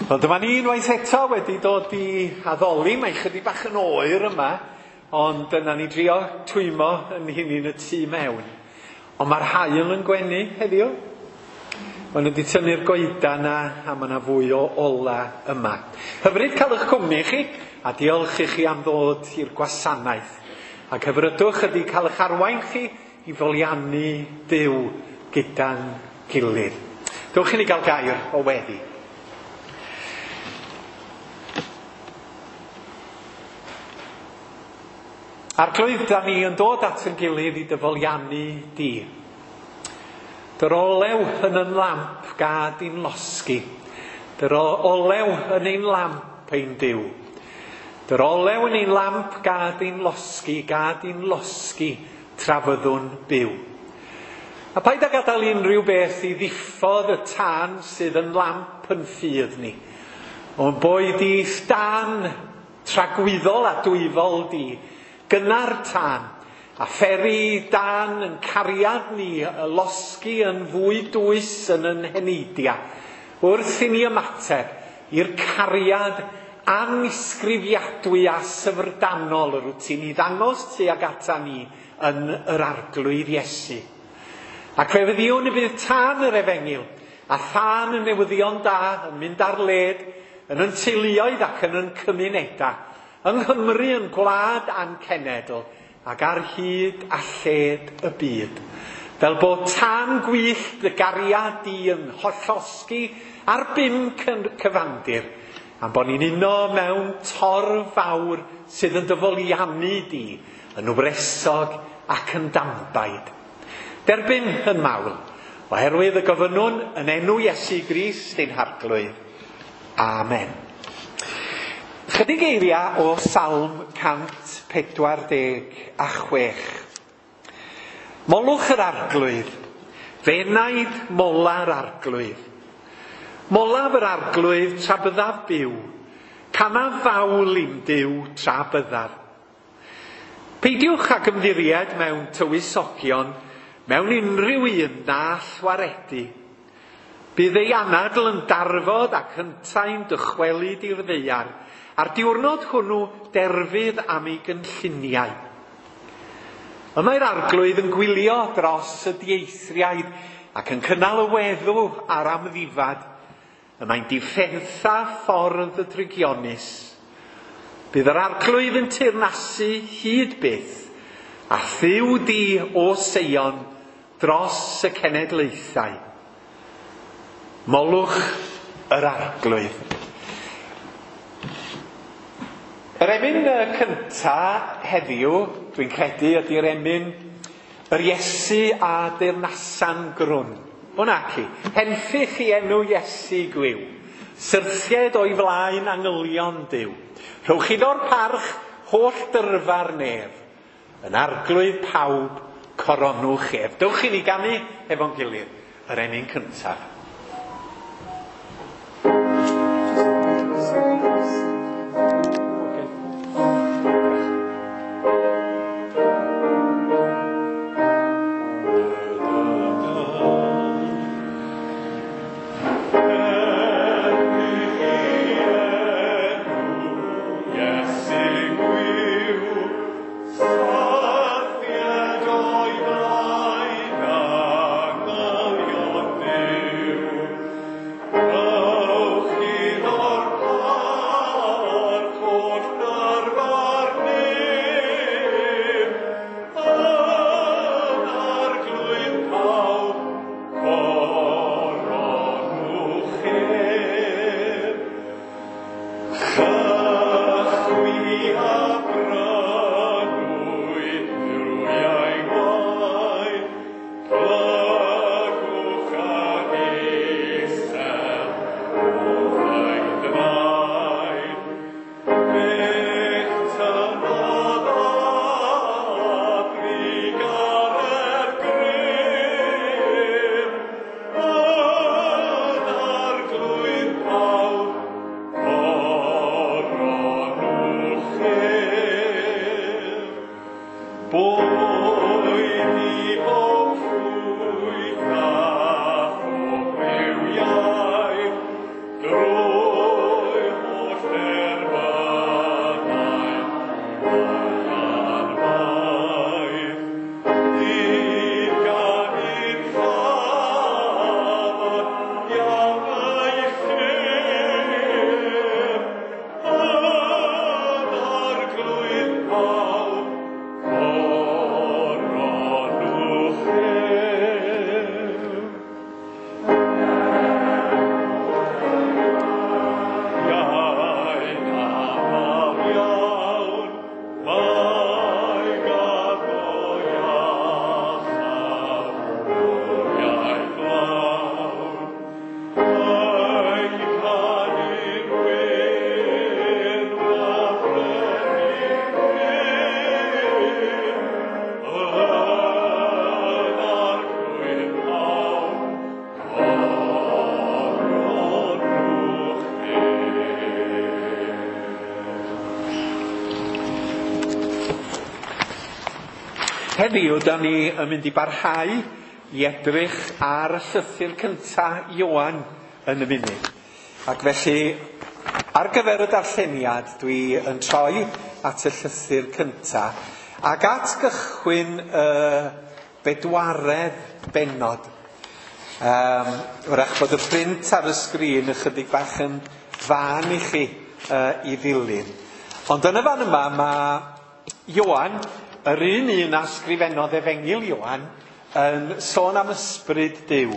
Wel, dyma ni unwaith eto wedi dod i addoli. Mae chydig bach yn oer yma, ond dyna ni drio twymo yn hunain y tu mewn. Ond mae'r haul yn gwenu heddiw. Maen nhw wedi tynnu'r goedan a, a mae yna fwy o ola yma. Hyfryd cael eich cwmni chi, a diolch i chi am ddod i'r gwasanaeth. Ac hyfrydwch ydy cael eich arwain chi i foliannu Duw gyda'n gilydd. Dewch i ni gael gair o weddi. Arglwydd, da ni yn dod at yn gilydd i dyfoliannu di. Dy'r olew yn yn lamp gad i'n losgi. Dy'r olew yn ein lamp ein Duw. Dy'r olew yn ein lamp gad i'n losgi, gad i'n losgi tra fyddwn byw. A paid â gadael unrhyw beth i ddiffodd y tân sydd yn lamp yn ffydd ni. Ond boed i dân tragwyddol a dwyfol di, gynnar tân, a pheri dân yn cariad ni, y losgi yn fwy dwys yn yn heneidia, wrth i ni ymateb i'r cariad annisgrifiadwy a syfrdanol yr wyt ti'n ei ddangos tuag ata ni yn yr Arglwydd Iesu. Ac fe fyddiwn y bydd tân yr efengyl a thân y newyddion da yn mynd ar led yn yn teuluoedd ac yn yn cymunedau, yng Nghymru yn gwlad a'n cenedl ac ar hyd a lled y byd. Fel bod tân gwyllt y gariad di yn hollosgi ar bum cyfandir, a'n bod ni'n uno mewn torf fawr sydd yn dyfoliannu di, yn wresog ac yn dambaid. Derbyn yn mawl, oherwydd y gofynnwn yn enw Iesu Grist ein Harglwydd. Amen. Chydig eiriau o Salm 146. Molwch yr Arglwydd, fenaid mola'r Arglwydd. Molaf yr Arglwydd tra byddaf byw, canaf fawl i'm Duw tra byddaf. Peidiwch ag ymddiried mewn tywysogion, mewn unrhyw un na all waredu. Bydd ei anadl yn darfod ac yntau'n dychwelyd i'r ddaear, a'r diwrnod hwnnw derfydd am ei gynlluniau. Y mae'r Arglwydd yn gwylio dros y dieithriaid ac yn cynnal y weddw a'r amddifad. Y mae'n difetha ffordd y drygionus. Bydd yr Arglwydd yn teyrnasu hyd byth, a thyw di o Seion dros y cenedlaethau. Molwch yr Arglwydd. Yr emyn cynta heddiw, dwi'n credu, ydy'r emyn yr Iesu a deyrnasan grwn. O naci, henffych i enw Iesu gwiw, syrthied o'i flaen angylion Duw. Rhowch iddo'r parch holl dyrfa'r nef, yn arglwydd pawb coronwch ef. Dewch i ni ganu efo'n gilydd yr emyn cyntaf. Syrthied o'i flaen angylion Duw. Heddiw, da ni yn mynd i barhau i edrych ar y llythyr cynta Ioan yn y munud. Ac felly, ar gyfer y darlleniad, dwi yn troi at y llythyr cynta ac at gychwyn y bedwaredd bennod. Wrach bod y print ar y sgrin ychydig bach yn fan i chi i ddilyn. Ond yn y fan yma mae Ioan, yr un un a sgrifennodd Efengyl Ioan, yn sôn am ysbryd Duw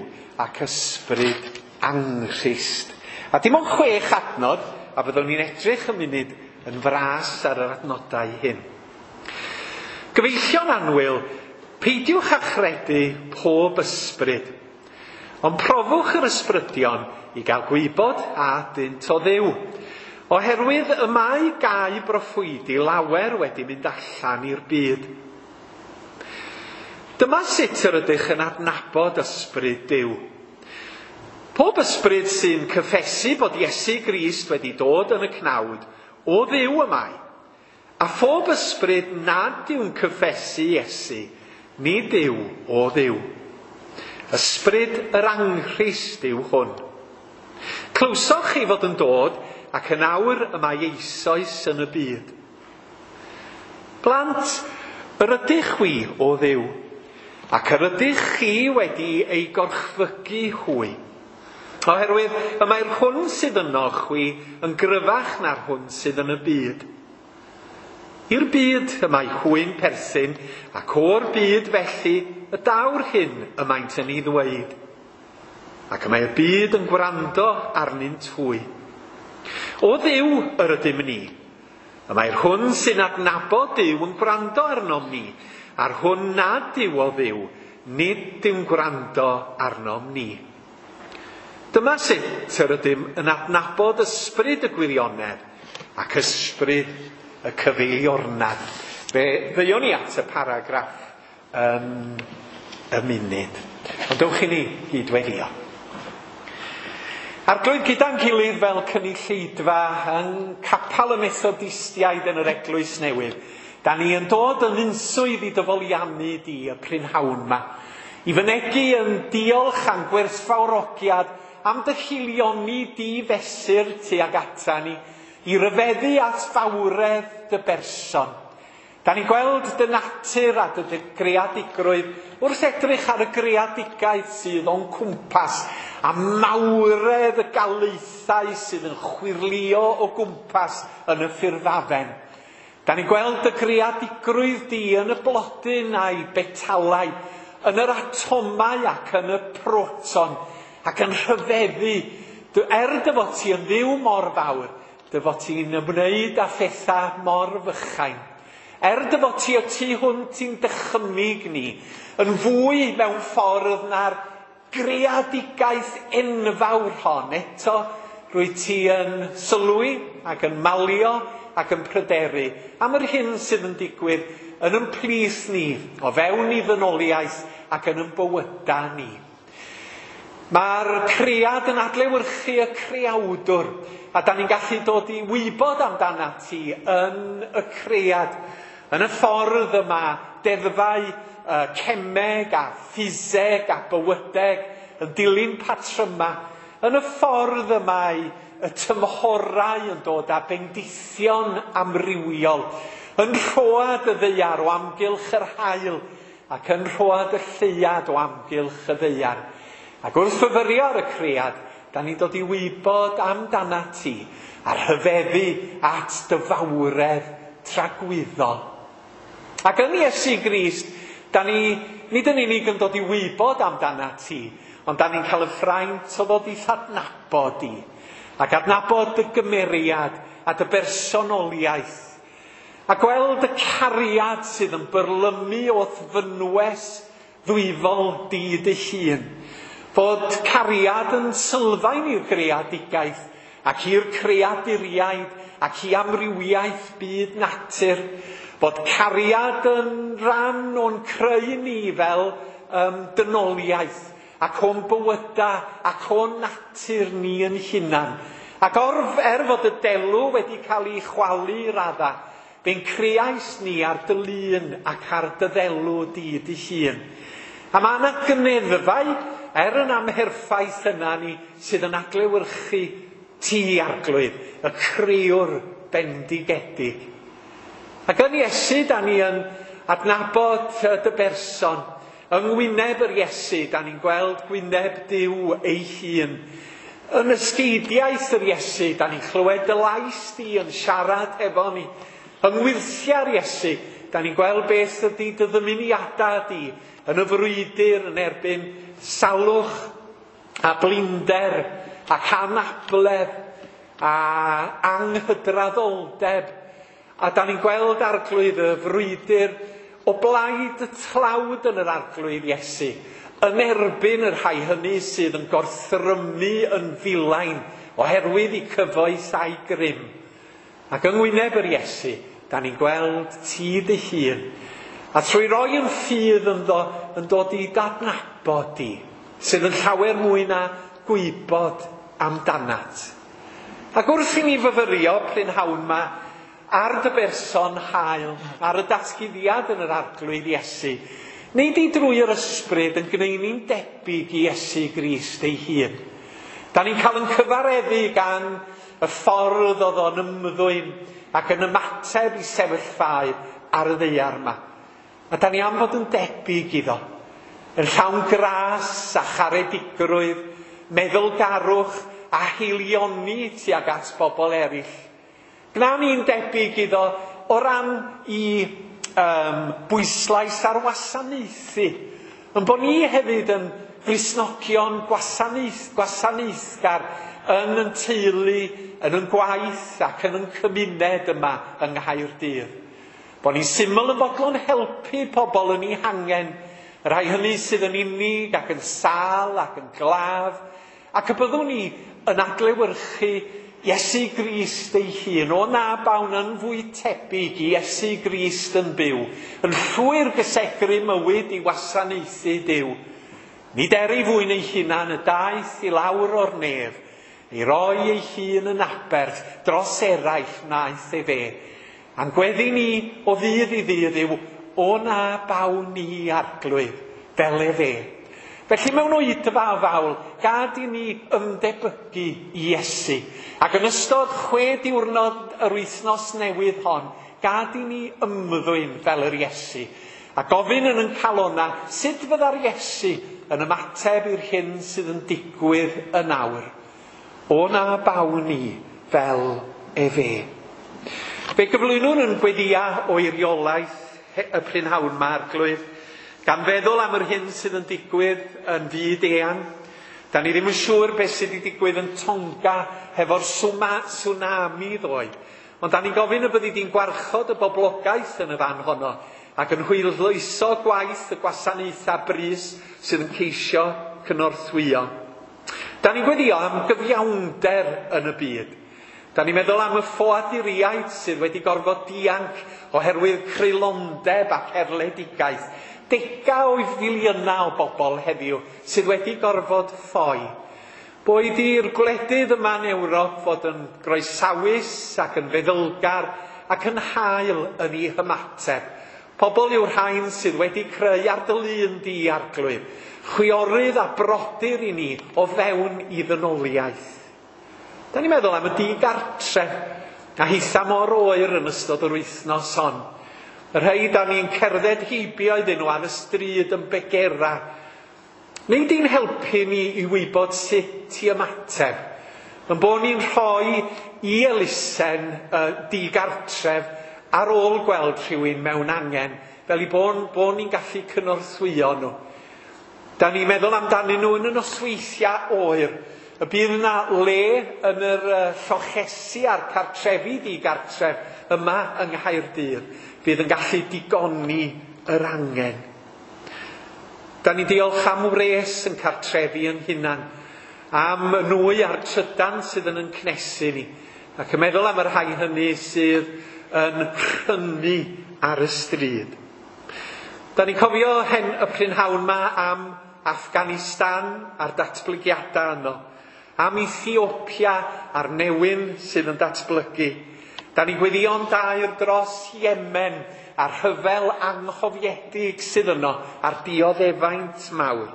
ac ysbryd anghrist. A dim ond 6 adnod, a fyddwn ni'n edrych yn munud yn fras ar yr adnodau hyn. Gyfeillion annwyl, peidiwch â chredu pob ysbryd, ond profwch yr ysbrydion i gael gwybod a ydynt o Dduw. Oherwydd y mae gau broffwydi lawer wedi mynd allan i'r byd. Dyma sut yr ydych yn adnabod ysbryd Duw. Pob ysbryd sy'n cyffesu bod Iesu Grist wedi dod yn y cnawd, o Dduw y mae. A phob ysbryd nad yw'n cyffesu Iesu, nid yw o Dduw. Ysbryd yr anghrist yw hwn. Clywsoch chi fod yn dod, ac yn awr y mae eisoes yn y byd. Blant, yr ydych chwi o Dduw, ac yr ydych chi wedi ei gorchfygu hwy. Oherwydd y mae'r hwn sydd yno chwi yn gryfach na'r hwn sydd yn y byd. I'r byd y mae hwy'n perthyn, ac o'r byd felly y daw'r hyn y maent yn ei ddweud. Ac y mae'r byd yn gwrando arnynt hwy. O Dduw yr ydym ni. Y mae'r hwn sy'n adnabod Duw yn gwrando arnom ni, a'r hwn nad yw o Dduw, nid yw'n gwrando arnom ni. Dyma sut yr ydym yn adnabod ysbryd y gwirionedd ac ysbryd y cyfeiliornad. Fe ddeuon ni at y paragraff yn y munud. Ond dewch i ni gydweddio. Arglwydd, gyda'n gilydd fel cynulleidfa yng Nghapel y Methodistiaid yn yr Eglwys Newydd, da ni yn dod yn unswydd i dyfoliannu di y prynhawn ma, i fynegi yn diolch a'n gwerthfawrogiad am dy chilioni di fesur tuag ata ni, i ryfeddu at fawredd dy berson. Da ni'n gweld dy natur a dy greadigrwydd wrth edrych ar y greadigaeth sydd o'n cwmpas a mawredd y galaethau sydd yn chwyrlïo o gwmpas yn y ffurfafen. Da ni'n gweld y greadigrwydd di yn y blodyn a'i betalau, yn yr atomau ac yn y proton, ac yn rhyfeddu. Er dy fod ti yn Dduw mor fawr, dy fod ti'n ymwneud â phethau mor fychain. Er dy fod ti o tu hwnt i'n dychymyg ni, yn fwy mewn ffordd na'r greadigaeth enfawr hon, eto rwy ti yn sylwi ac yn malio ac yn pryderu am yr hyn sydd yn digwydd yn ymplith ni, o fewn i ddynoliaeth ac yn ymbywyda ni. Mae'r cread yn adlewyrchu y creawdwr, a da ni'n gallu dod i wybod amdana ti yn y cread, yn y ffordd yma deddfau cemeg a ffiseg a bywydeg yn dilyn patryma, yn y ffordd y mae y tymhorau yn dod â bendithion amrywiol, yn rhoad y ddaear o amgylch yr haul ac yn rhoad y lleuad o amgylch y ddaear. Ac wrth fyfyrio ar y cread, da ni'n dod i wybod amdana ti a rhyfeddu at dy fawredd tragwyddol. Ac yn Iesu Grist, da ni nid yn unig yn dod i wybod amdana ti, ond da ni'n cael y fraint o ddod i'th adnabod di, ac adnabod dy gymeriad a dy bersonoliaeth, a gweld y cariad sydd yn byrlymu o'th fynwes ddwyfol di dy hun. Bod cariad yn sylfaen i'r greadigaeth ac i'r creaduriaid ac i amrywiaeth byd natur. Bod cariad yn rhan o'n creu ni fel dynoliaeth ac o'n bywyda ac o'n natur ni yn hunan. Ac er fod y delw wedi cael ei chwalu i radda, Fe'n creais ni ar dy lun ac ar dy ddelw di dy hun. A mae yna gyneddfau, er yn amherffaith yna ni, sydd yn adlewyrchu ti, Arglwydd, y crëwr bendigedig. Ac yn Iesu, da ni yn adnabod dy berson. Yng ngwyneb yr Iesu, da ni'n gweld gwyneb Duw ei hun. Yn ysgeidiaeth yr Iesu, da ni'n clywed dy lais di yn siarad efo ni. Yng ngwyrthiau'r Iesu, da ni'n gweld beth ydy dy ddymuniadau di yn y frwydr yn erbyn salwch a blinder ac anabledd a anghydraddoldeb. A da ni'n gweld, Arglwydd, y frwydr o blaid y tlawd yn yr Arglwydd Iesu, yn erbyn y rhai hynny sydd yn gorthrymu yn filain oherwydd eu cyfoeth a'i grym. Ac yng ngwyneb yr Iesu, da ni'n gweld ti dy hun, a trwy roi yn ffydd ynddo yn dod i d'adnabod di, sydd yn llawer mwy na gwybod amdanat. Ac wrth i ni fyfyrio prynhawn ma ar dy berson hael, ar y datguddiad yn yr Arglwydd Iesu, neu di drwy yr ysbryd yn gwneud ni'n debyg i Iesu Grist ei hun. Da ni'n cael yn cyfareddu gan y ffordd oedd o'n ymddwyn ac yn ymateb i sefyllfaoedd ar y ddaear yma. A da ni am fod yn debyg iddo, yn llawn gras a charedigrwydd, meddylgarwch a haelioni tuag at bobl eraill. Gwna ni'n debyg iddo o ran i bwyslais ar wasanaethu. Yn bod ni hefyd yn Gristnogion gwasanaethgar yn yn teulu, yn yn gwaith ac yn yn cymuned yma yng Nghaerdydd. Bod ni'n syml yn fodlon helpu pobl yn eu hangen, y rhai hynny sydd yn unig ac yn sâl ac yn glaf, ac y byddwn ni yn adlewyrchu Iesu Grist ei hun, o na bawn yn fwy tebyg i Iesu Grist yn byw, yn llwyr gysegru mywyd i wasanaethu Duw. Nid er ei fwyn ei hunan y daeth i lawr o'r nef, i roi ei hun yn aberth dros eraill wnaeth efe. A'n gweddi ni o ddydd i ddydd yw, o na bawn ni, Arglwydd, fel efe. Felly mewn oedfa o fawl, gad i ni ymdebygu i Iesu. Ac yn ystod 6 diwrnod yr wythnos newydd hon, gad i ni ymddwyn fel yr Iesu. A gofyn yn yn calona, sut fydda'r Iesu yn ymateb i'r hyn sydd yn digwydd yn awr? O na bawn ni fel efe. Fe gyflwynwn yn gweddia o eiriolaeth y prynhawn ma, Arglwydd, gan feddwl am yr hyn sydd yn digwydd yn fyd eang. Da ni ddim yn siŵr beth sydd wedi digwydd yn Tonga hefo'r tsunami ddoe. Ond da ni'n gofyn y byddi di'n gwarchod y boblogaeth yn y fan honno ac yn hwyluso gwaith y gwasanaethau brys sydd yn ceisio cynorthwyo. Da ni'n gweddio am gyfiawnder yn y byd. Da ni'n meddwl am y ffoaduriaid sydd wedi gorfod dianc oherwydd creulondeb ac erledigaeth. Degau o filiynau o bobl heddiw sydd wedi gorfod ffoi. Boed i'r gwledydd yma yn Ewrop fod yn groesawus ac yn feddylgar ac yn hael yn eu hymateb. Pobl yw'r rhain sydd wedi creu ar dy lun di, Arglwydd, chwiorydd a brodyr i ni o fewn i ddynoliaeth. Da ni'n meddwl am y digartref a hitha mor oer yn ystod yr wythnos hon. Y rhai da ni'n cerdded heibio iddyn nhw ar y stryd yn begera. Neu di'n helpu ni i wybod sut i ymateb. Yn bod ni'n rhoi i elusen digartref ar ôl gweld rhywun mewn angen, fel i bod ni'n gallu cynorthwyo nhw. Da ni'n meddwl amdanyn nhw yn y nosweithiau oer. Y bydd yna le yn yr llochesi a'r cartrefi digartref yma yng Nghaerdydd fydd yn gallu digoni yr angen. Da ni'n diolch am wres yn cartrefi yn hunan, am y nwy a'r trydan sydd yn yn cnesu ni, ac yn meddwl am y rhai hynny sydd yn rhynnu ar y stryd. Da ni'n cofio hen y prynhawn ma am Afghanistan a'r datblygiadau yno, am Ethiopia a'r newyn sydd yn datblygu. Da ni'n gweddïo'n daer dros Yemen a'r rhyfel anghofiedig sydd yno a'r dioddefaint mawr.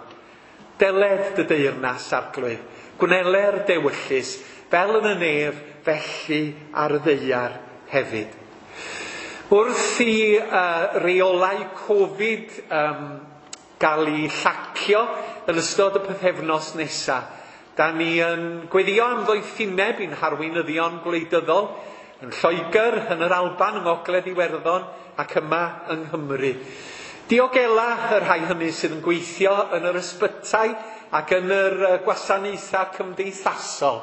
Deled dy deyrnas, Arglwydd, gwneler d'ewyllys, fel yn y nef, felly ar y ddaear hefyd. Wrth i reolau Covid gael eu llacio yn ystod y pythefnos nesaf, da ni yn gweddio am ddoethineb i'n harweinyddion gwleidyddol yn Lloegr, yn yr Alban, yng Ngogledd Iwerddon ac yma yng Nghymru. Diogela y rhai hynny sydd yn gweithio yn yr ysbytai ac yn yr gwasanaethau cymdeithasol.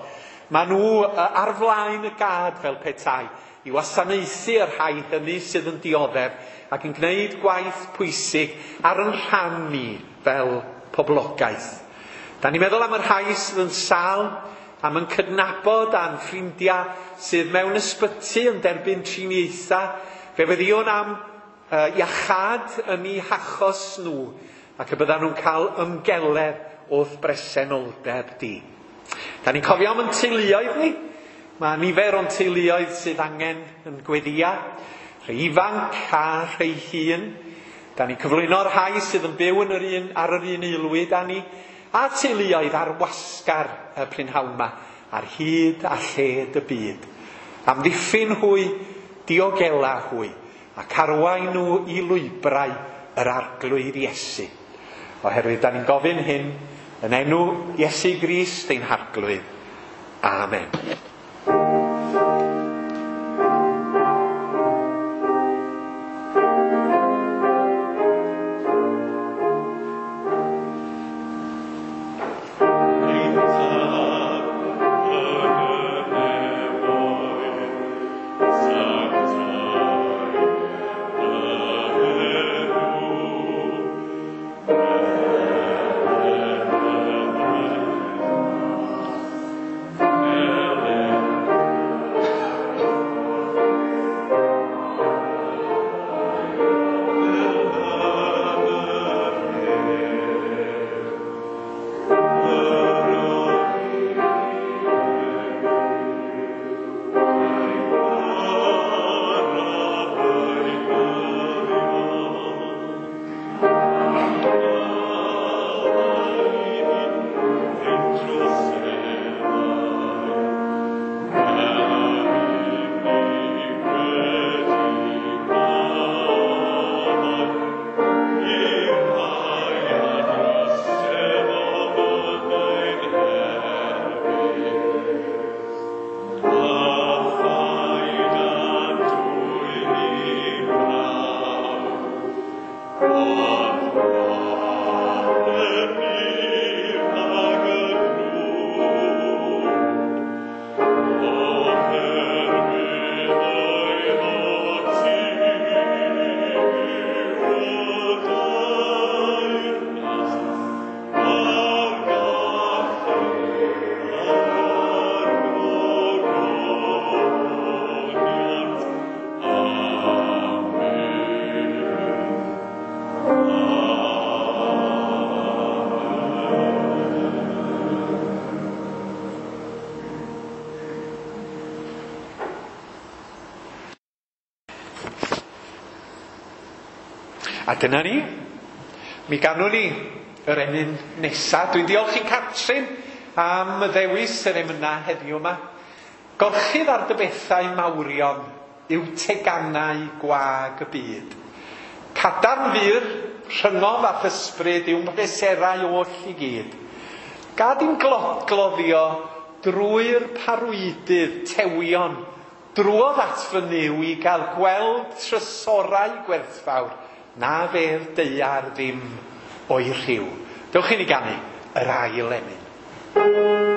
Maen nhw ar flaen y gad fel petai i wasanaethu y rhai hynny sydd yn dioddef ac yn gwneud gwaith pwysig ar yn rhan ni fel poblogaeth. Da ni'n meddwl am y rhai sydd yn sâl, am yn cydnabod a'n ffrindiau sydd mewn ysbyty yn derbyn triniaethau. Fe feddiwn am iachâd yn eu hachos nhw ac y byddan nhw'n cael ymgeledd wrth bresenoldeb di. Da ni'n cofio am yn teuluoedd ni. Mae nifer o'n teuluoedd sydd angen yn gweddia, rhai ifanc a rhai hŷn. Da ni'n cyflwyno'r rhai sydd yn byw yn yr un, ar yr un aelwyd â ni, a teuluoedd ar wasgar y prynhawn yma, ar hyd a lled y byd. Amddiffyn hwy, diogela hwy, ac arwain nhw i lwybrau yr Arglwydd Iesu. Oherwydd da ni'n gofyn hyn yn enw Iesu Grist ein Harglwydd. Amen. A dyna ni. Mi ganwn ni yr emyn nesaf. Dwi'n diolch i Catrin am ddewis yr emynau heddiw yma. Gorchudd ar dy bethau mawrion yw teganau gwag y byd. Cadarn fyr, rhyngof a'th ysbryd yw mhleserau oll i gyd. Gad i'n gloddio drwy'r parwydydd tewion, drwodd at fy Nuw i gael gweld trysorau gwerthfawr, na fedd daear ddim o'i rhyw. Dewch i ni ganu yr ail emyn. Amen.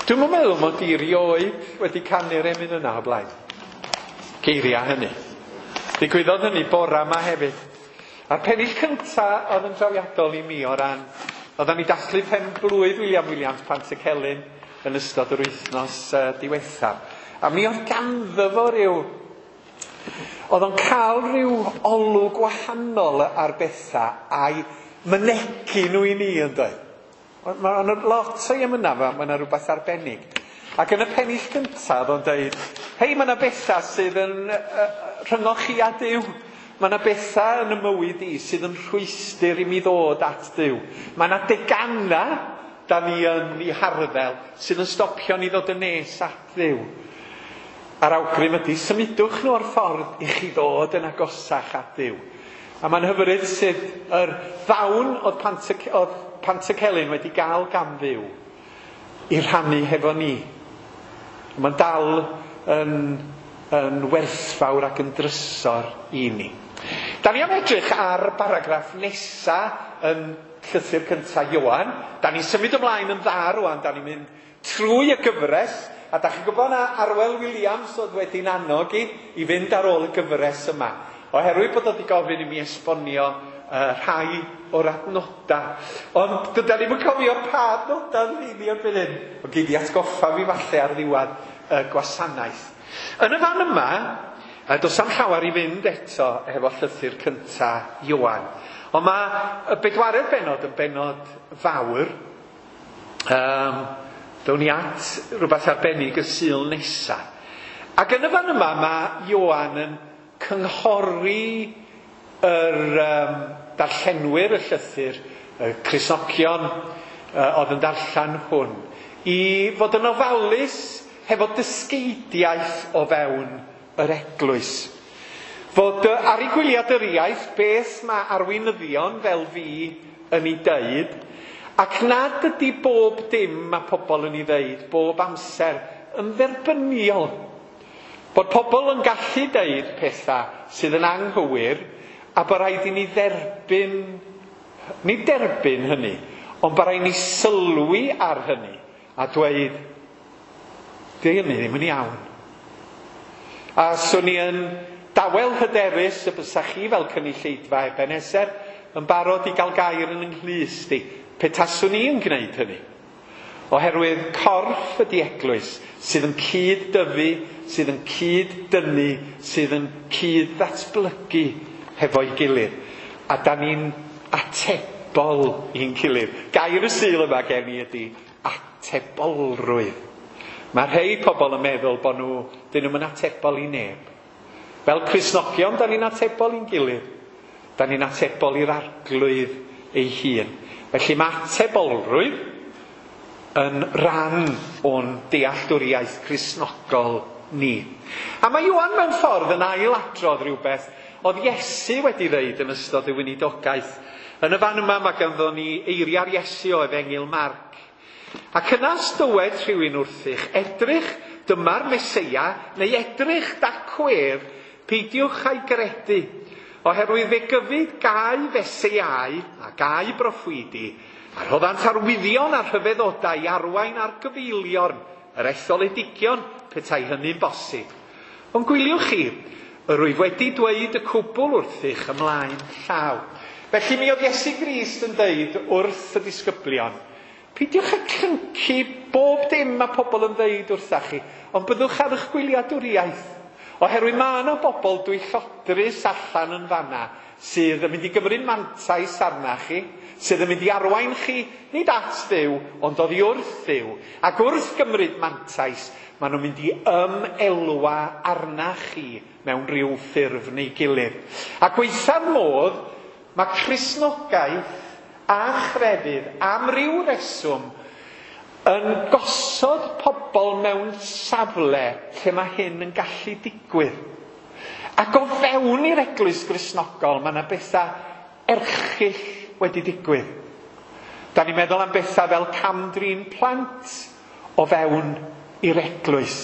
Dwi'm yn meddwl mod i rioed wedi canu'r emyn yna o blaen. Geiriau hynny. Digwyddodd hynny bora yma hefyd. A'r pennill cynta oedd yn drawiadol i mi o ran, oeddan ni dathlu pen blwydd William Williams Pantycelyn yn ystod yr wythnos diwethaf. A mi oedd ganddo fo ryw, oedd o'n cael rhyw olwg gwahanol ar bethau a'i mynegi nhw i ni, yn doedd? Mae yna lot o emynau, mae yna rhywbeth arbennig. Ac yn y pennill gyntaf, oedd o'n dweud, hei, mae yna bethau sydd yn rhyngoch chi a Duw. Mae yna bethau yn y mywyd i sydd yn rhwystr i mi ddod at Duw. Mae yna degannau da ni yn ei harddel sydd yn stopio ni ddod yn nes at Dduw. A'r awgrym ydy, symudwch nhw o'r ffordd i chi ddod yn agosach at Dduw. A mae'n hyfryd sydd yr ddawn oedd Pantycelyn wedi gael gan Dduw i rhannu hefo ni. Mae'n dal yn werthfawr ac yn drysor i ni. Da ni am edrych ar baragraff nesa yn llythyr cyntaf Ioan. Da ni'n symud ymlaen yn dda rwan, da ni'n mynd trwy y gyfres, a da chi'n gwybod na Arwel Williams oedd wedi'n annog i fynd ar ôl y gyfres yma. Oherwydd bod o wedi gofyn i mi esbonio rhai o'r adnodau. Ond dyda ni'm yn cofio pa adnodau rili erbyn hyn. Ond gei di atgoffa fi falle ar ddiwedd y gwasanaeth. Yn y fan yma, does am llawer i fynd eto hefo llythyr cynta Ioan. Ond mae y bedwaredd bennod yn bennod fawr. Down ni at rhywbeth arbennig y Sul nesa. Ac yn y fan yma mae Ioan yn cynghori yr darllenwyr y llythyr, y Cristnogion oedd yn darllen hwn, i fod yn ofalus hefo dysgeidiaeth o fewn yr eglwys. Fod ar ei gwyliadwriaeth beth mae arweinyddion fel fi yn ei deud, ac nad ydy bob dim mae pobl yn ei ddeud bob amser yn dderbyniol. Bod pobl yn gallu deud pethau sydd yn anghywir, a bod rhaid i ni dderbyn, nid derbyn hynny, ond bod rhaid i ni sylwi ar hynny a dweud, di hynny ddim yn iawn. A swn i yn dawel hyderus y bysa chi fel cynulleidfa Ebenezer yn barod i gael gair yn ynghlust di, petaswn i yn gwneud hynny. Oherwydd corff ydy eglwys sydd yn cyd-dyfu, sydd yn cyd-dynnu, sydd yn cyd-ddatblygu hefo'i gilydd. A da ni'n atebol i'n gilydd. Gair y Sul yma gen i ydy atebolrwydd. Mae rhai pobl yn meddwl bod nhw, dyn nhw'm yn atebol i neb. Fel Cristnogion, da ni'n atebol i'n gilydd. Da ni'n atebol i'r Arglwydd ei hun. Felly mae atebolrwydd yn rhan o'n dealltwriaeth Cristnogol ni. A mae Ioan mewn ffordd yn ailadrodd rhywbeth oedd Iesu wedi ddeud yn ystod y weinidogaeth. Yn y fan yma mae ganddo ni eiriau'r Iesu o Efengyl Marc. Ac yna dywed rhywun wrthych, edrych dyma'r Meseia, neu edrych dacw ef, peidiwch â'i gredu, oherwydd fe gyfyd gau Feseiau a gau broffwydi, a rhoddant arwyddion a rhyfeddodau i arwain ar gyfeiliorn yr etholedigion, petai hynny'n bosib. Ond gwyliwch chi, yr wyf wedi dweud y cwbl wrthych ymlaen llaw. Felly mi oedd Iesu Grist yn deud wrth y disgyblion, peidiwch â clyncu bob dim mae pobl yn ddeud wrthach chi, ond byddwch ar eich gwyliadwriaeth. Oherwydd mae yna bobl dwyllodrus allan yn fanna sydd yn mynd i gymryd mantais arnach chi, sydd yn mynd i arwain chi, nid at Dduw, ond oddi wrth Dduw. Ac wrth gymryd mantais, maen nhw'n mynd i ymelwa arnach chi mewn rhyw ffurf neu gilydd. Ac gwaetha'r modd, mae Cristnogaeth a chrefydd am ryw reswm yn gosod pobl mewn safle lle mae hyn yn gallu digwydd. Ac o fewn i'r eglwys Gristnogol, mae yna bethau erchyll wedi digwydd. Da ni'n meddwl am bethau fel cam-drin plant o fewn i'r eglwys.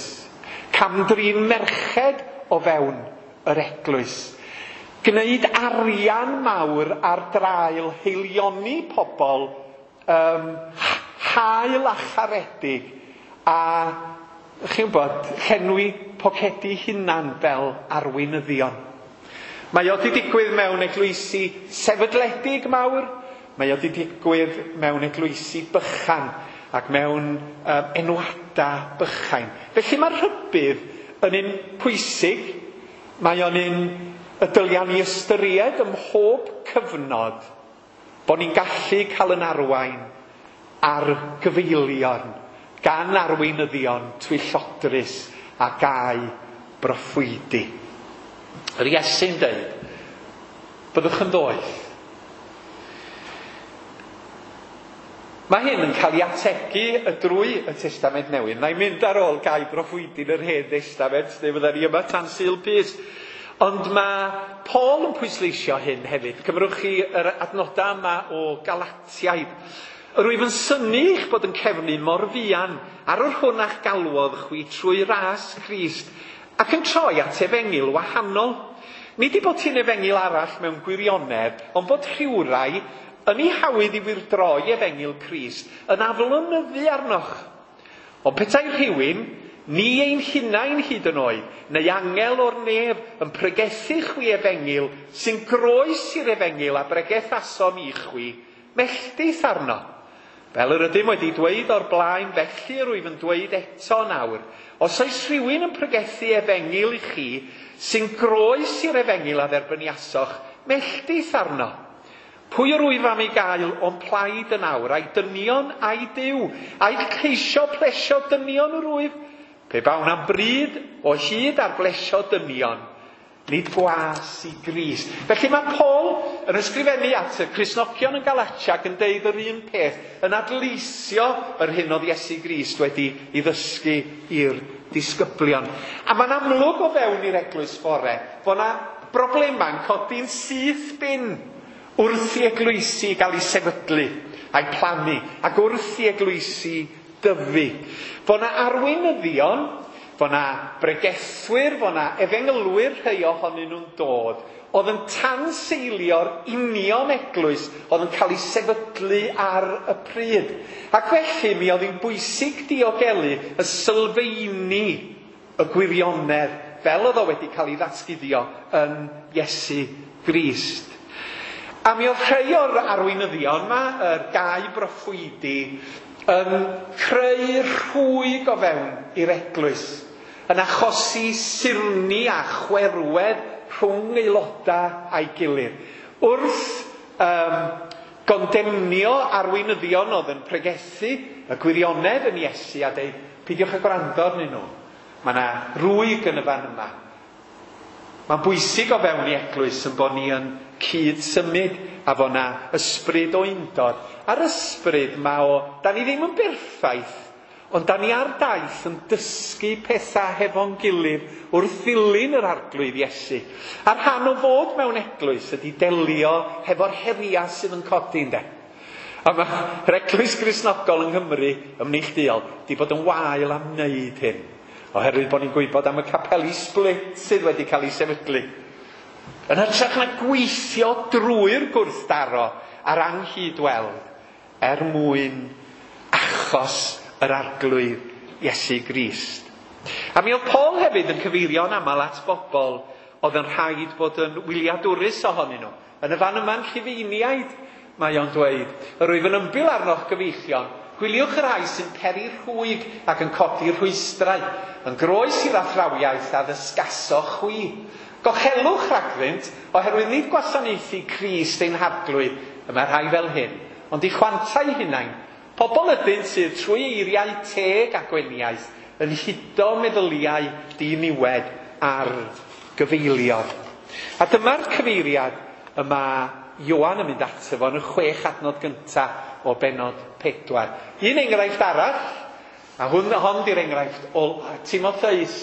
Cam-drin merched o fewn yr eglwys. Gwneud arian mawr ar draul heilioni pobl hael a charedig A chi'n gwybod, llenwi pocedi hunan fel arweinyddion. Mae o 'di digwydd mewn eglwysi sefydledig mawr, mae o 'di digwydd mewn eglwysi bychan ac mewn enwadau bychain. Felly mae'r rhybudd yn un pwysig, mae o'n un y dylia ni ystyried ym mhob cyfnod bod ni'n gallu cael yn arwain ar gyfeiliorn gan arweinyddion twyllodrus a gau broffwydi. Yr Iesu'n dweud, byddwch yn ddoeth. Mae hyn yn cael ei ategu y drwy y Testament Newydd. Na i mynd ar ôl gau broffwydi yn yr Hen Destament, neu fydda ni yma tan Sul Pys. Ond mae Paul yn pwysleisio hyn hefyd. Cymrwch chi yr adnodau yma o Galatiaid. Yr wyf yn synnu eich bod yn cefnu mor fuan ar yr hwn a'ch galwodd chwi trwy ras Crist ac yn troi at efengyl wahanol. Nid i bod hi'n efengyl arall mewn gwirionedd, ond bod rhywrai yn ei hawydd i wyrdroi efengyl Crist yn aflonyddu arnoch. Ond petai rhywun, ni ein hunain hyd yn oed, neu angel o'r nef yn pregethu chwi efengyl sy'n groes i'r efengyl a bregethasom i chwi, melltith arno. Fel yr ydym wedi dweud o'r blaen, felly yr wyf yn dweud eto nawr, os oes rhywun yn pregethu efengyl i chi sy'n groes i'r efengyl a dderbyniasoch, melltith arno. Pwy yr wyf am ei gael o'n plaid yn awr, a'i dynion a'i Duw, a'i ceisio plesio dynion yr wyf? Pe bawn am bryd o hyd ar blesio dynion, nid gwas i Grist. Felly mae Paul yn ysgrifennu at y Cristnogion yn Galatia ac yn deud yr un peth, yn adleisio yr hyn oedd Iesu Grist wedi ei ddysgu i'r disgyblion. A mae'n amlwg o fewn i'r eglwys fore fod yna broblemau'n codi'n syth bin wrth i eglwysi gael ei sefydlu a'i plannu ac wrth i eglwysi dyfu. Fod yna arweinyddion, fod yna bregethwyr, fod yna efengylwyr rhai ohonyn nhw'n dod, oedd yn tanseilio'r union eglwys oedd yn cael ei sefydlu ar y pryd. Ac felly mi oedd hi'n bwysig diogelu y sylfeini y gwirionedd fel oedd o wedi cael ei ddatguddio yn Iesu Grist. A mi oedd rhai o'r arweinyddion yma, yr gau broffwydi, yn creu rhwyg o fewn i'r eglwys, yn achosi sirni a chwerwedd rhwng aelodau a'i gilydd. Wrth gondemnio arweinyddion oedd yn pregethu y gwirionedd yn Iesu a deud, peidiwch â gwrando arnyn nhw, mae yna rwyg yn y fan yma. Mae'n bwysig o fewn i eglwys yn bod ni yn cyd-symud a fod na ysbryd o undod. A'r ysbryd ma o, da ni ddim yn berffaith, ond da ni ar daith yn dysgu pethau hefo'n gilydd wrth ddilyn yr Arglwydd Iesu. A'r rhan o fod mewn eglwys ydy delio hefo'r heriau sydd yn codi, ynde. A mae'r eglwys Gristnogol yng Nghymru ymneilltuol di bod yn wael am wneud hyn. Oherwydd bod ni'n gwybod am y capeli split sydd wedi cael ei sefydlu. Yn hytrach na gweithio drwy'r gwrthdaro a'r anghydweld er mwyn achos yr Arglwydd Iesu Grist. A mi oedd Paul hefyd yn cyfeirio'n aml at bobl oedd yn rhaid bod yn wyliadwrus ohonyn nhw. Yn y fan yma'n Rhufeiniaid, mae o'n dweud, yr wyf yn ymbil arnoch gyfeillion, gwyliwch y rhai sy'n peri rhwyg ac yn codi rhwystrau, yn groes i'r athrawiaeth a ddysgasoch chwi. Gochelwch rhagddynt, oherwydd nid gwasanaethu Crist ein Harglwydd, y mae rhai fel hyn, ond i chwantau hunain. Pobl ydynt sydd trwy eiriau teg a gweniaeth yn hudo meddyliau diniwed ar gyfeilion. A dyma'r cyfeiriad y mae Ioan yn mynd ato fo yn y 6 adnod gyntaf o bennod 4. Un enghraifft arall, a hon di'r enghraifft o Timotheus,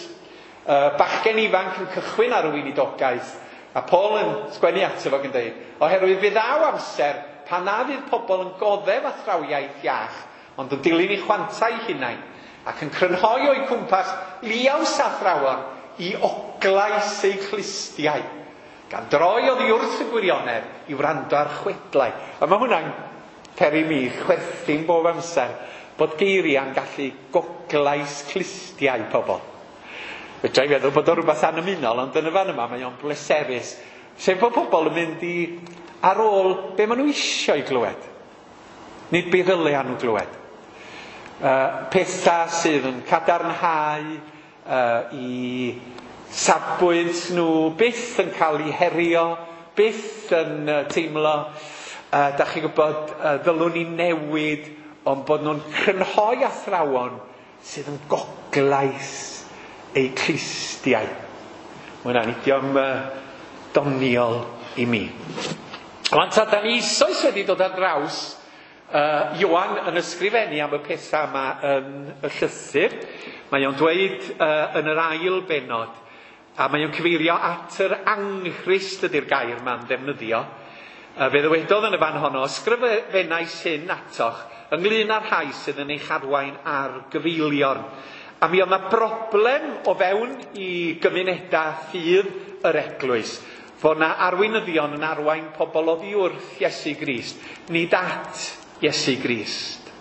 bachgen ifanc yn cychwyn ar y weinidogaeth, a Paul yn sgwennu ato fo ac yn dweud, oherwydd fe ddaw amser pan na fydd pobl yn goddef athrawiaeth iach, ond yn dilyn eu chwantau hunain, ac yn crynhoi o'u cwmpas liaws athrawon i oglais eu clustiau, gan droi oddi wrth y gwirionedd i wrando ar chwedlau. A mae hwnna'n peri mi chwerthin bob amser. Bod geiriau'n gallu goglais clustiau pobl. Fedra i feddwl bod o rhywbeth annymunol, ond yn y fan yma mae o'n bleserus. Sef bod pobl yn mynd i ar ôl be maen nhw eisiau glywed. Nid be ddylia nhw glywed. Pethau sydd yn cadarnhau i safbwynt nhw, byth yn cael eu herio, byth yn teimlo, da chi'n gwybod, ddylwn ni newid, ond bod nhw'n crynhoi athrawon sydd yn goglais eu clustiau. Mae hwnna'n idiom doniol i mi. Wan ta, da ni eisoes wedi dod ar draws Ioan yn ysgrifennu am y pethau yma yn y llythyr. Mae o'n dweud yn yr ail bennod, a mae o'n cyfeirio at yr anghrist ydy'r gair ma'n ddefnyddio. Fe ddywedodd yn y fan honno, ysgrifennais hyn atoch ynglyn â'r rhai sydd yn eich arwain ar gyfeiliorn. A mi oedd 'na broblem o fewn i gymunedau ffydd yr eglwys, fod 'na arweinyddion yn arwain pobl oddi wrth Iesu Grist, nid at Iesu Grist.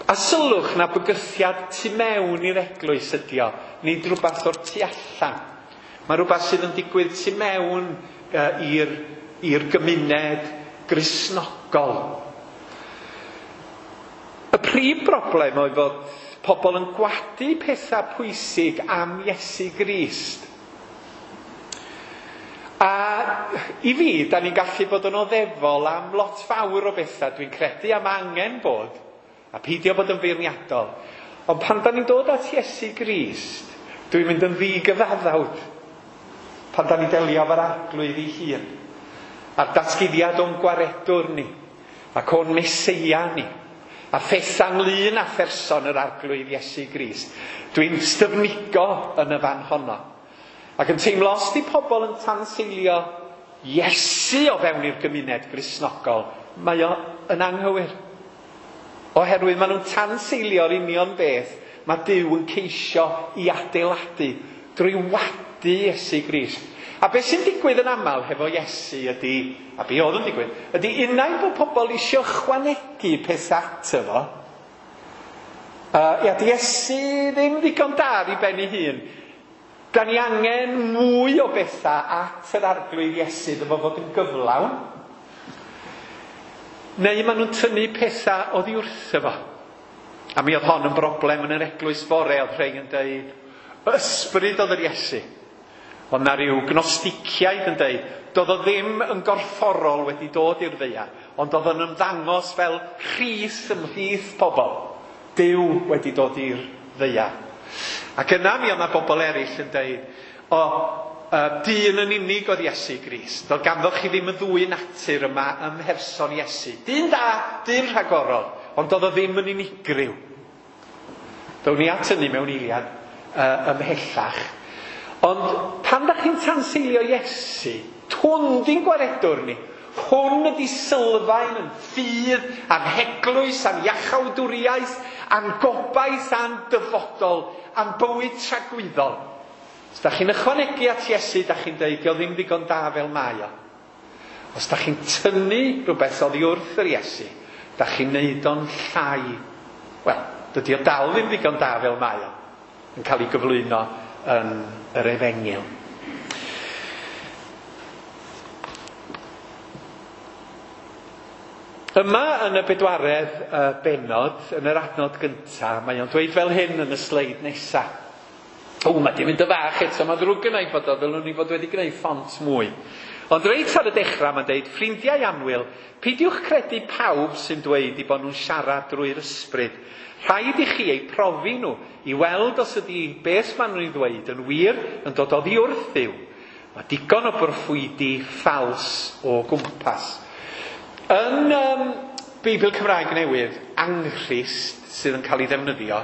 A sylwch na bygythiad tu mewn i'r eglwys ydi o, nid rhywbeth o'r tu allan. Mae rhywbeth sydd yn digwydd tu mewn i'r gymuned Gristnogol. Y prif broblem oedd fod pobl yn gwadu pethau pwysig am Iesu Grist. A i fi, da ni'n gallu bod yn oddefol am lot fawr o bethau, dwi'n credu am angen bod, a peidio bod yn feirniadol. Ond pan da ni'n dod at Iesu Grist, dwi'n mynd yn ddigyfaddawd pan da ni'n delio efo'r Arglwydd ei hun, a'r datguddiad o'n gwaredwr ni, ac o'n Meseia ni, a phethau ynglyn â pherson yr Arglwydd Iesu Grist. Dwi'n styfnigo yn y fan honno. Ac yn teimlo, os di pobl yn tanseilio Iesu o fewn i'r gymuned Gristnogol, mae o yn anghywir. Oherwydd maen nhw'n tanseilio'r union beth mae Duw yn ceisio i adeiladu drwy wadu Iesu Grist. A beth sy'n digwydd yn aml hefo Iesu ydy, a be oedd yn digwydd, ydy unai bod pobl isio chwanegu peth ato fo. Ia, di Iesu ddim ddigon da ar ei ben ei hun. Da ni angen mwy o bethau at yr Arglwydd Iesu iddo fo fod yn gyflawn. Neu maen nhw'n tynnu pethau oddi wrtho fo. A mi oedd hon yn broblem yn yr eglwys fore, oedd rhai yn dweud, ysbryd oedd yr Iesu. Ond na ryw gnosticiaid yn dweud, doedd o ddim yn gorfforol wedi dod i'r ddaear, ond oedd o'n ymddangos fel rhys ymhlith pobl. Duw wedi dod i'r ddaear. Ac yna mi oedd 'na bobl eraill yn dweud, dyn yn unig oedd Iesu Grist. Doedd ganddo chi ddim y ddwy natur yma ym mherson Iesu. Dyn da, dyn rhagorol, ond doedd o ddim yn unigryw. Down ni at hynny mewn eiliad ymhellach. Ond pan da chi'n tanseilio Iesu, hwn di'n gwaredwr ni. Hwn ydi sylfaen yn ffydd, a'n heglwys, a'n iachawdwriaeth, a'n gobaith, a'n dyfodol, a'n bywyd tragwyddol. Os da chi'n ychwanegu at Iesu, da chi'n deud, dio ddim ddigon da fel mae o. Os da chi'n tynnu rhywbeth oddi wrth yr Iesu, da chi'n neud o'n llai. Wel, dydy o dal ddim ddigon da fel mae o, yn cael ei gyflwyno yn yr Efengyl. Yma yn y bedwaredd bennod, yn yr adnod gyntaf, mae o'n dweud fel hyn yn y sleid nesa. O, mae di mynd y fach eto, mae ddrwg gynna i bod o, ddylwn ni fod wedi gwneud ffont mwy. Ond reit ar y dechrau mae'n dweud, ffrindiau annwyl, peidiwch credu pawb sy'n dweud i bod nhw'n siarad drwy'r ysbryd. Rhaid i chi eu profi nhw i weld os ydy beth maen nhw'n ei ddweud yn wir yn dod oddi wrth Dduw. Mae digon o broffwydi ffals o gwmpas. Yn Beibl Cymraeg Newydd, anghrist sydd yn cael ei ddefnyddio.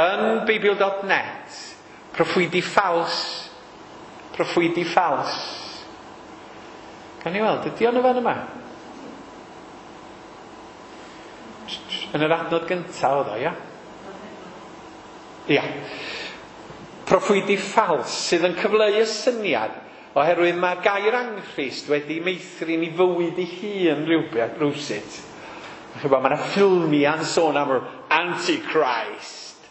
Yn Beibl.net, proffwydi ffals. Proffwydi ffals. Gawn ni weld, ydy o'n y fan yma? Yn yr adnod gyntaf oedd o, ia? Ia. Proffwydi ffals sydd yn cyfleu y syniad, oherwydd mae gair anghrist wedi meithrin i fywyd ei hun rhywsut. Chi'n gwbod, mae yna ffilmiau'n sôn am yr Antichrist.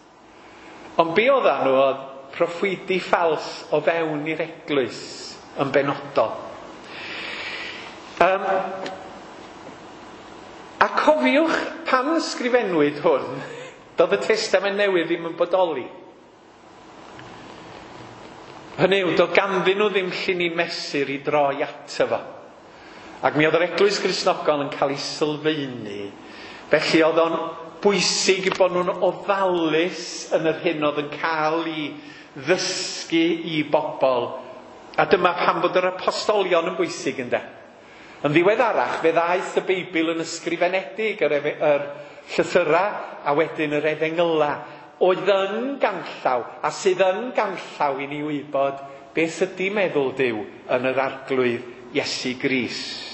Ond be oeddan nhw oedd proffwydi ffals o fewn i'r eglwys yn benodol. A cofiwch pan ysgrifennwyd hwn, doedd y Testament Newydd ddim yn bodoli. Hynny yw, doedd ganddyn nhw ddim llinyn mesur i droi ato fo. Ac mi oedd yr Eglwys Gristnogol yn cael ei sylfaenu. Felly oedd o'n bwysig bod nhw'n ofalus yn yr hyn oedd yn cael ei ddysgu i bobl. A dyma pam bod yr apostolion yn bwysig, ynde. Yn ddiweddarach, fe ddaeth y Beibl yn ysgrifenedig, yr llythyrau a wedyn yr efengyla, oedd yn ganllaw a sydd yn ganllaw i ni wybod beth ydy meddwl Duw yn yr Arglwydd Iesu Grist.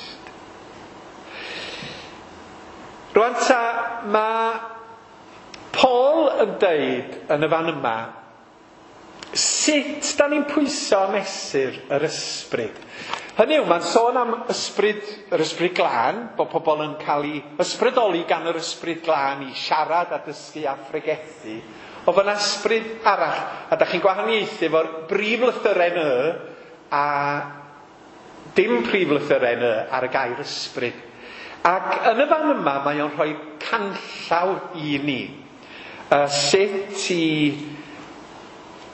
Rwan ta, mae Paul yn deud yn y fan yma, sut da ni'n pwyso a mesur yr ysbryd? Hynny yw, mae'n sôn am ysbryd, yr ysbryd glân, bod pobl yn cael ei ysbrydoli gan yr ysbryd glân i siarad a dysgu a phregethu. Ond fyna ysbryd arall, a da chi'n gwahaniaethu efo'r brif lythyren y a dim prif lythyren y ar y gair ysbryd. Ac yn y fan yma mae o'n rhoi canllaw i ni. Sut i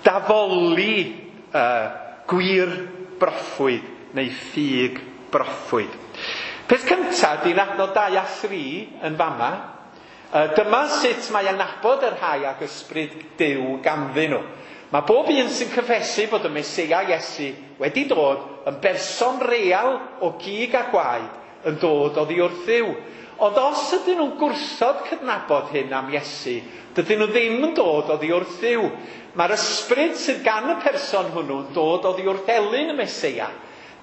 dafoli gwir broffwyd neu ffug broffwyd. Peth cyntaf di'n adnod 2 a 3 yn fama. Dyma sut mae anabod yr rhai ag ysbryd Duw ganddyn nhw. Mae bob un sy'n cyffesu bod y Meseia Iesu wedi dod yn berson real o gig a gwaed yn dod oddi wrth Dduw. Ond os ydyn nhw'n gwrthod cydnabod hyn am Iesu, dydyn nhw ddim yn dod oddi wrth Dduw. Mae'r ysbryd sydd gan y person hwnnw'n dod oddi wrth elyn y Meseia.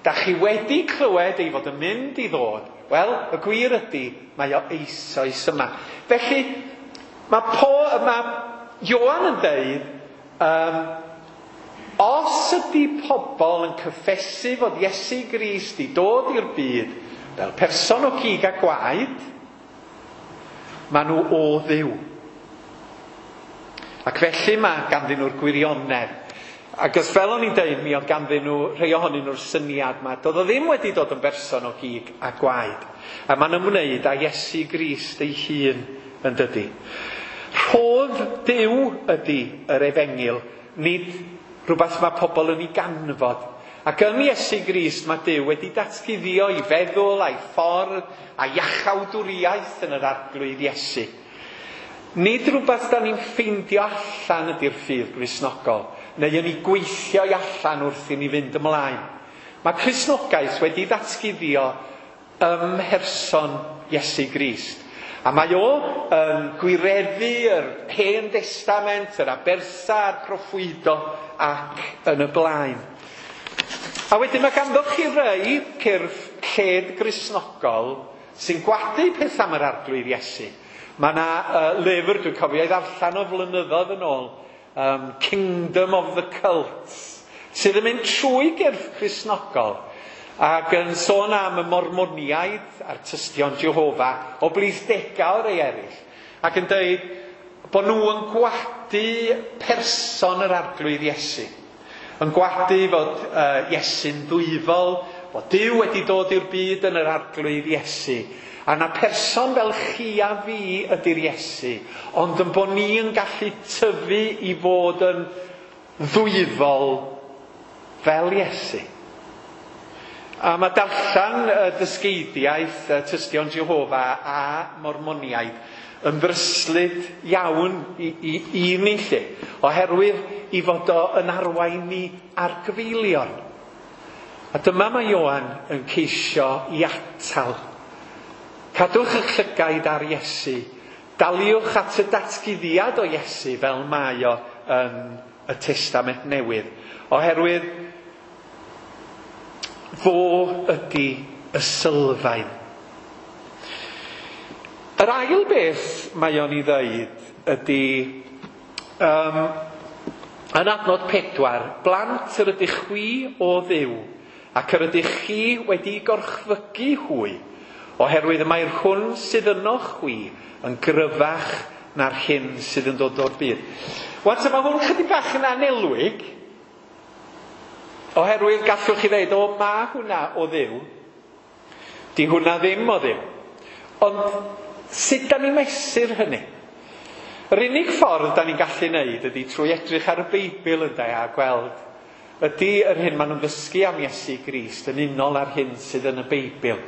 Da chi wedi clywed ei fod yn mynd i ddod. Wel, y gwir ydy, mae o eisoes yma. Felly, mae Ioan yn deud, os ydy pobl yn cyffesu fod Iesu Grist i dod i'r byd fel person o gig a gwaed, maen nhw o Dduw. Ac felly mae ganddyn nhw'r gwirionedd. Ac os fel o'n i'n deud, mi oedd ganddyn nhw, rhai ohonyn nhw'r syniad yma, doedd o ddim wedi dod yn berson o gig a gwaed. A mae'n ymwneud â Iesu Grist ei hun yn dydy. Rhodd Duw ydy yr efengyl, nid rhywbeth mae pobl yn ei ganfod. Ac yn Iesu Grist mae Duw wedi datguddio ei feddwl a'i ffordd a iachawdwriaeth yn yr Arglwydd Iesu. Nid rhywbeth da ni'n ffeindio allan ydy'r ffydd Gristnogol, neu yn ei gweithio i allan wrth i ni fynd ymlaen. Mae Cristnogaeth wedi datguddio ym mherson Iesu Grist. A mae o yn gwireddu yr Hen Destament, yr abertha, a'r proffwydo ac yn y blaen. A wedyn mae ganddo chi rai cyrff lled Gristnogol sy'n gwadu peth am yr Arglwydd Iesu. Mae yna lyfr, dwi'n cofio ei ddarllen o flynyddoedd yn ôl, Kingdom of the Cults, sydd yn mynd trwy gyrff Cristnogol ac yn sôn am y Mormoniaid a'r Tystion Jehofa o blith degau o'r rei eraill, ac yn dweud bod nhw yn gwadu person yr Arglwydd Iesu. Yn gwadu fod Iesu'n ddwyfol, bod Duw wedi dod i'r byd yn yr Arglwydd Iesu. A na person fel chi a fi ydy'r Iesu, ond yn bod ni yn gallu tyfu i fod yn ddwyfol fel Iesu. A mae darllen dysgeidiaeth Tystion Jehofa a Mormoniaid yn ddryslyd iawn i ni lle, oherwydd i fod o yn arwain ni ar gyfeilion. A dyma mae Ioan yn ceisio i atal. Cadwch eich llygaid ar Iesu. Daliwch at y datguddiad o Iesu fel mae o yn y Testament Newydd. Oherwydd fo ydy y sylfaen. Yr ail beth mae o'n ei ddeud ydy, yn adnod 4, blant yr ydych chwi o Dduw, ac yr ydych chi wedi gorchfygu hwy, oherwydd y mae'r hwn sydd yno chwi yn gryfach na'r hyn sydd yn dod o'r byd. Wan, mae hwn chydig bach yn anelwig, oherwydd gallwch chi ddeud, o, mae hwnna o Dduw. Di hwnna ddim o Dduw. Ond sut da ni'n mesur hynny? Yr unig ffordd da ni'n gallu neud ydy trwy edrych ar y Beibl ynde a gweld ydy yr hyn maen nhw'n ddysgu am Iesu Grist yn unol â'r hyn sydd yn y Beibl.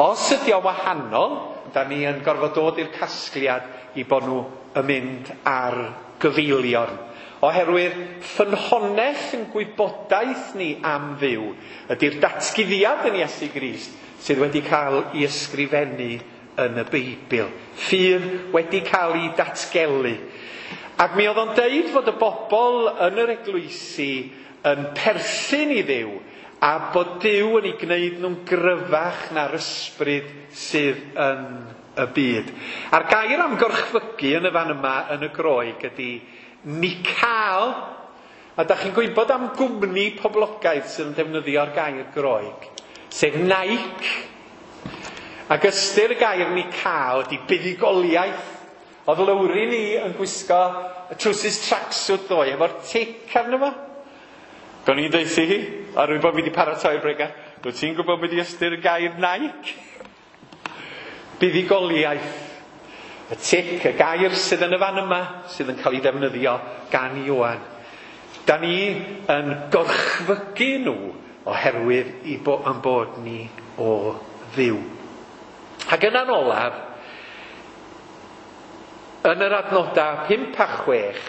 Os ydy o wahanol, da ni yn gorfod dod i'r casgliad i bod nhw yn mynd ar gyfeiliorn. Oherwydd ffynhonnell yn gwybodaeth ni am Dduw ydy'r datguddiad yn Iesu Grist sydd wedi cael ei ysgrifennu yn y Beibl. Ffydd wedi cael ei datgelu. Ac mi oedd o'n deud fod y bobl yn yr eglwysi yn perthyn i Dduw a bod Duw yn ei gwneud nhw'n gryfach na'r ysbryd sydd yn y byd. A'r gair am gorchfygu yn y fan yma yn y Groeg ydy nikao. A da chi'n gwybod am gwmni poblogaidd sydd yn defnyddio'r gair Groeg, sef Nike. Ac ystyr y gair nikao ydy buddugoliaeth. Oedd Lowri ni yn gwisgo y trowsus tracksuit ddoe efo'r tic arno fo. Do'n i'n deuthu hi, a rwy'n bod fi wedi paratoi'r bregeth. Wyt ti'n gwybod beth ydy ystyr y gair Nike? Buddugoliaeth. Y tic, y gair sydd yn y fan yma, sydd yn cael ei ddefnyddio gan Ioan. Da ni yn gorchfygu nhw oherwydd i bo, yn bod ni o Dduw. Ac yna'n olaf, yn yr adnodau 5 a 6,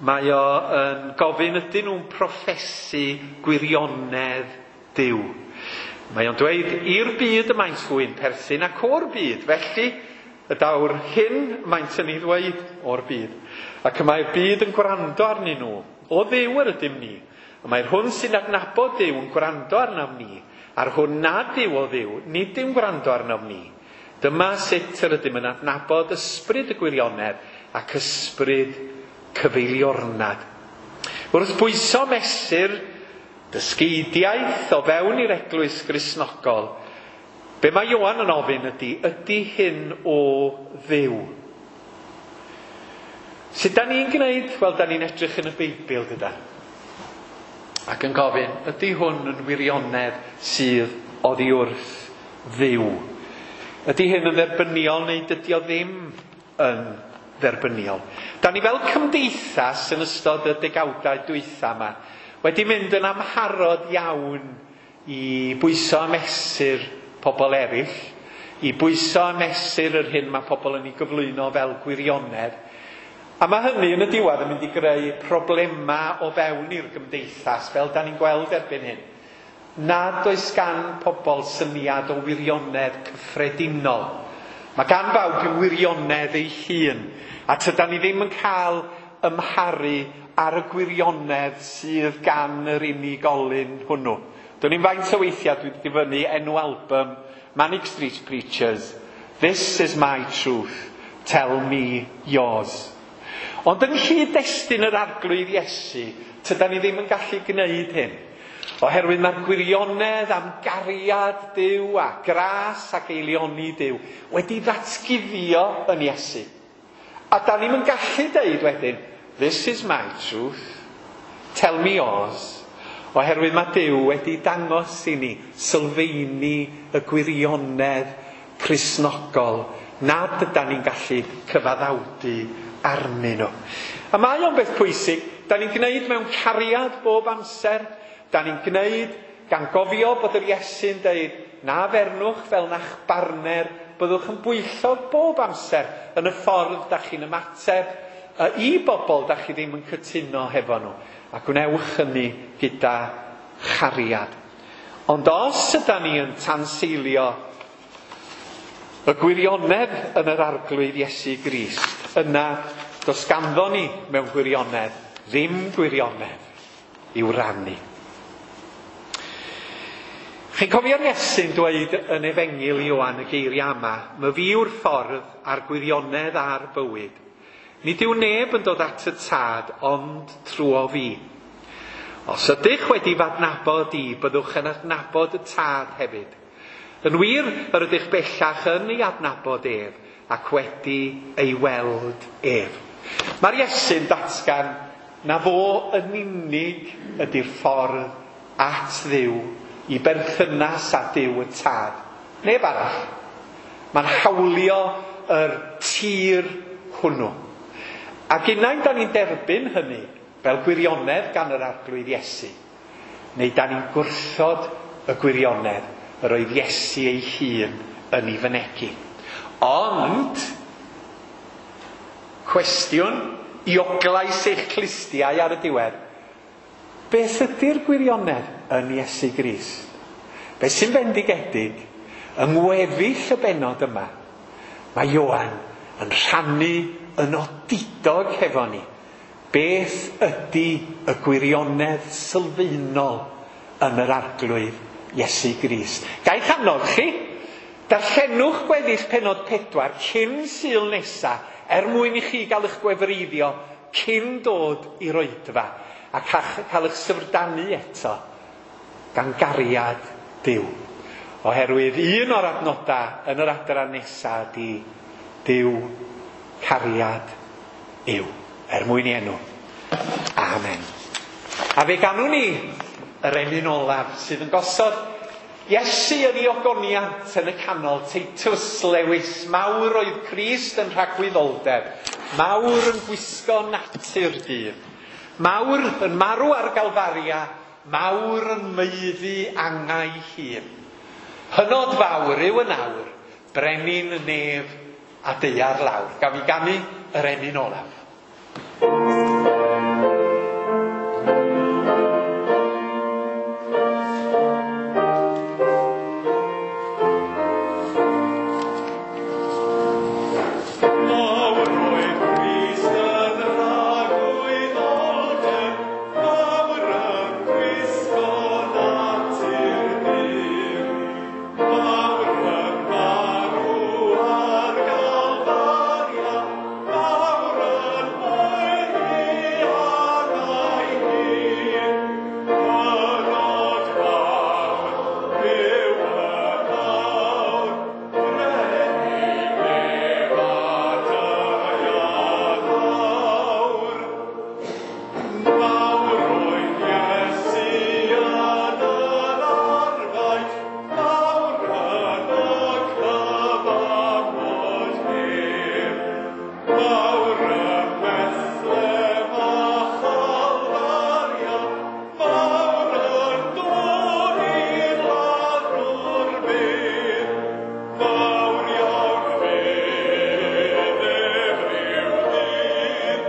mae o yn gofyn ydyn nhw'n proffesu gwirionedd Duw. Mae o'n dweud i'r byd y maent hwy'n perthyn ac o'r byd. Felly, y daw'r hyn maent yn ei ddweud o'r byd. Ac y mae'r byd yn gwrando arnyn nhw. O Dduw yr ydym ni. Y mae'r hwn sy'n adnabod Duw yn gwrando arnom ni. A'r hwn nad yw o Dduw, nid yw'n gwrando arnom ni. Dyma sut yr ydym yn adnabod ysbryd y gwirionedd ac ysbryd cyfeiliornad. Wrth bwyso mesur dysgeidiaeth o fewn i'r eglwys Gristnogol, be mae Ioan yn ofyn ydy, ydy hyn o Dduw? Sut da ni'n gwneud? Wel, da ni'n edrych yn y Beibl gyda. Ac yn gofyn, ydy hwn yn wirionedd sydd oddi wrth Dduw? Ydy hyn yn dderbyniol neu dydy o ddim yn dderbyniol? Da ni fel cymdeithas yn ystod y degawdau dwytha yma wedi mynd yn amharod iawn i bwyso a mesur pobl eraill, i bwyso a mesur yr hyn mae pobl yn ei gyflwyno fel gwirionedd. A mae hynny yn y diwedd yn mynd i greu problemau o fewn i'r gymdeithas, fel da ni'n gweld erbyn hyn. Nad oes gan pobl syniad o wirionedd cyffredinol. Mae gan bawb i'w wirionedd ei hun. A tydan ni ddim yn cael ymharu ar y gwirionedd sydd gan yr unigolyn hwnnw. Do'n i'n faint o weithiau dwi wedi dyfynnu enw album Manic Street Preachers. This is my truth, tell me yours. Ond yng nghyd-destun yr Arglwydd Iesu, tydan ni ddim yn gallu gwneud hyn. Oherwydd mae'r gwirionedd am gariad Duw a gras ac eilioni Duw wedi ddatguddio yn Iesu. A da ni'm yn gallu deud wedyn, this is my truth, tell me yours. Oherwydd mae Duw wedi dangos i ni sylfaeni y gwirionedd Cristnogol nad ydan ni'n gallu cyfaddawdu arnyn nhw. A mae o'n beth pwysig, da ni'n gwneud mewn cariad bob amser, da ni'n gwneud gan gofio bod yr Iesu'n deud, na fernwch fel na'ch barner, byddwch yn bwyllog bob amser yn y ffordd da chi'n ymateb i bobl da chi ddim yn cytuno hefo nhw. A gwnewch hynny gyda chariad. Ond os ydan ni yn tanseilio y gwirionedd yn yr Arglwydd Iesu Grist, yna does ganddo ni mewn gwirionedd ddim gwirionedd i'w rannu. Chi'n cofio'r Iesu'n dweud yn Efengyl Ioan y geiriau yma, "My fi yw'r ffordd a'r gwirionedd a'r bywyd. Nid yw neb yn dod at y Tad ond trwo fi. Os ydych wedi f'adnabod i, byddwch yn adnabod y Tad hefyd. Yn wir, yr ydych bellach yn ei adnabod ef ac wedi ei weld ef. Mae'r Iesu'n datgan na fo yn unig ydy'r ffordd at Dduw i berthynas â Duw y Tad. Neb arall. Mae'n hawlio yr tir hwnnw. Ac unai da ni'n derbyn hynny fel gwirionedd gan yr Arglwydd Iesu, neu da ni'n gwrthod y gwirionedd yr oedd Iesu ei hun yn ei fynegi. Ond, cwestiwn i oglais eich clustiau ar y diwedd, beth ydy'r gwirionedd yn Iesu Grist? Beth sy'n fendigedig yng ngweddill y bennod yma, mae Ioan yn rhannu yn odidog hefo ni beth ydy y gwirionedd sylfaenol yn yr Arglwydd Iesu Grist. Ga i'ch annog chi, darllenwch gweddill pennod 4 cyn Sul nesa er mwyn i chi gael eich gwefreiddio cyn dod i'r oedfa a cael eich syfrdanu eto gan gariad Duw. Oherwydd un o'r adnodau yn yr adran nesa ydy Duw cariad yw, er mwyn i enw. Amen. A fe ganwn ni yr emyn olaf sydd yn gosod Iesu yn ei ogoniant yn y canol, Teitws Lewis, mawr oedd Crist yn rhagwyddoldeb, mawr yn gwisgo natur dyn, mawr yn marw ar Galfaria, mawr yn maeddu angau hun. Hynod fawr yw yn awr, brenin y nef a daear lawr. Gaf fi ganu yr emyn olaf. Mawr oedd Crist yn rhagwyddoldeb, mawr yn gwisgo natur dyn, mawr yn marw ar Galfaria, mawr yn maeddu angau hun. Hynod fawr yw yn awr, brenin nef a daear lawr. Mawr oedd Iesu yn yr arfaeth, mawr yn y cyfamod hir. Mawr ym Methlehem a Chalfaria, mawr yn dod i lanw'r byd. Mawr iawn fydd ef ryw ddydd,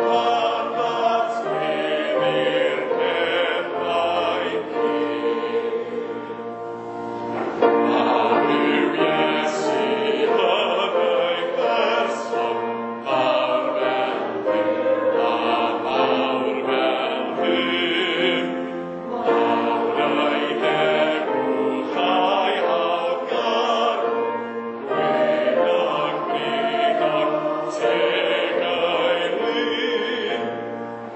pan ddatguddir pethau cudd. Mawr yw Iesu yn ei berson, mawr fel Dduw a mawr fel dyn. Mawr ei degwch a'i hawddgarwch, gwyn ac bigog teg ei lun.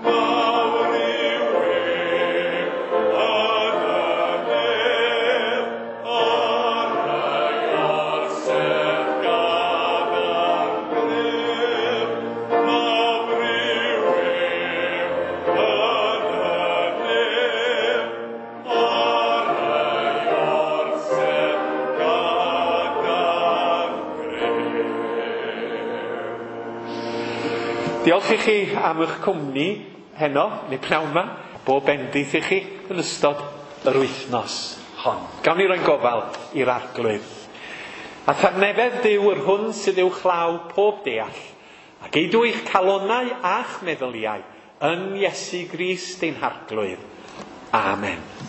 Mawr yw ef yn y nef, ar ei orsedd gadarn gref. Mawr yw ef yn y nef, ar ei orsedd gadarn gref. Diolch i chi am eich cwmni heno, neu pnawn 'ma. Bob bendith i chi yn ystod yr wythnos hon. Gawn ni roi'n gofal i'r Arglwydd. A thangnefedd Duw yr hwn sydd uwchlaw pob deall, ac geidw eich calonnau a'ch meddyliau yn Iesu Grist ein Harglwydd. Amen.